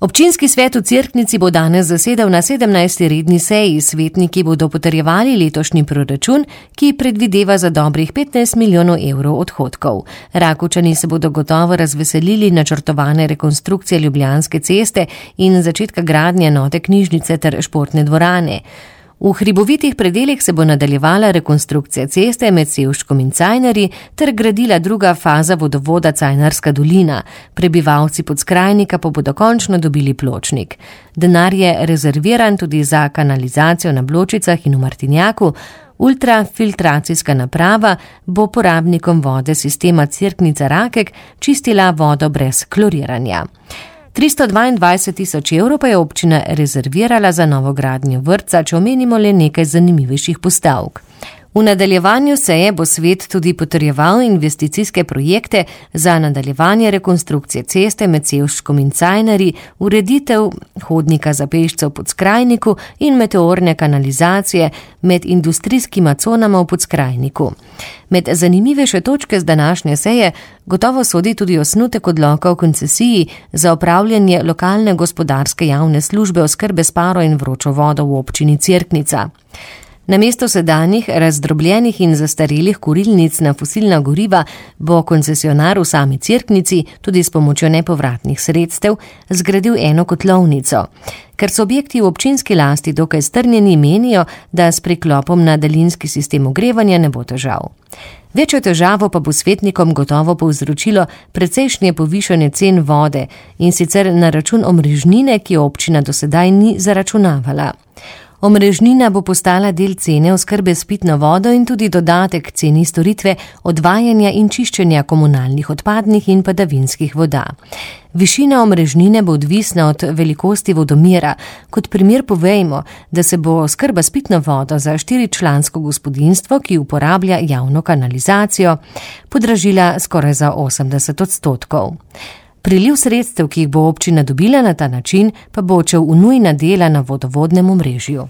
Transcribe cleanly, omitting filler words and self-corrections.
Občinski svet v Cerknici bo danes zasedal na 17. redni seji. Svetniki bodo potrjevali letošnji proračun, ki predvideva za dobrih 15 milijonov evrov odhodkov. Rakovčani se bodo gotovo razveselili načrtovane rekonstrukcije Ljubljanske ceste in začetka gradnje nove knjižnice ter športne dvorane. V hribovitih predelih se bo nadaljevala rekonstrukcija ceste med Sevškom in Cajnarji ter gradila druga faza vodovoda Cajnarska dolina. Prebivalci Podskrajnika pa bodo končno dobili pločnik. Denar je rezerviran tudi za kanalizacijo na Bločicah in v Martinjaku. Ultrafiltracijska naprava bo porabnikom vode sistema Cerknica-Rakek čistila vodo brez kloriranja. 322 tisoč evrov pa je občina rezervirala za novogradnjo vrtca, če omenimo le nekaj zanimivejših postavk. V nadaljevanju seje bo svet tudi potrjeval investicijske projekte za nadaljevanje rekonstrukcije ceste med Sevškom in Cajnarji, ureditev hodnika za pešce v Podskrajniku in meteorne kanalizacije med industrijskima conama v Podskrajniku. Med zanimivejše točke z današnje seje gotovo sodi tudi osnutek odloka o koncesiji za opravljanje lokalne gospodarske javne službe oskrbe s paro in vročo vodo v občini Cerknica. Namesto sedanjih razdrobljenih in zastarelih kurilnic na fosilna goriva bo koncesionar v sami Cerknici tudi s pomočjo nepovratnih sredstev zgradil eno kotlovnico. Ker so objekti v občinski lasti dokaj strnjeni, menijo, da s priklopom na daljinski sistem ogrevanja ne bo težav. Večjo težavo pa bo svetnikom gotovo povzročilo precejšnje povišanje cen vode in sicer na račun omrežnine, ki jo občina do sedaj ni zaračunavala. Omrežnina bo postala del cene oskrbe s pitno vodo in tudi dodatek ceni storitve odvajanja in čiščenja komunalnih odpadnih in padavinskih voda. Višina omrežnine bo odvisna od velikosti vodomera. Kot primer povejmo, da se bo oskrba s pitno vodo za 4-člansko gospodinjstvo, ki uporablja javno kanalizacijo, podražila skoraj za 80%. Priliv sredstev, ki jih bo občina dobila na ta način, pa bo odšel v nujna dela na vodovodnem omrežju.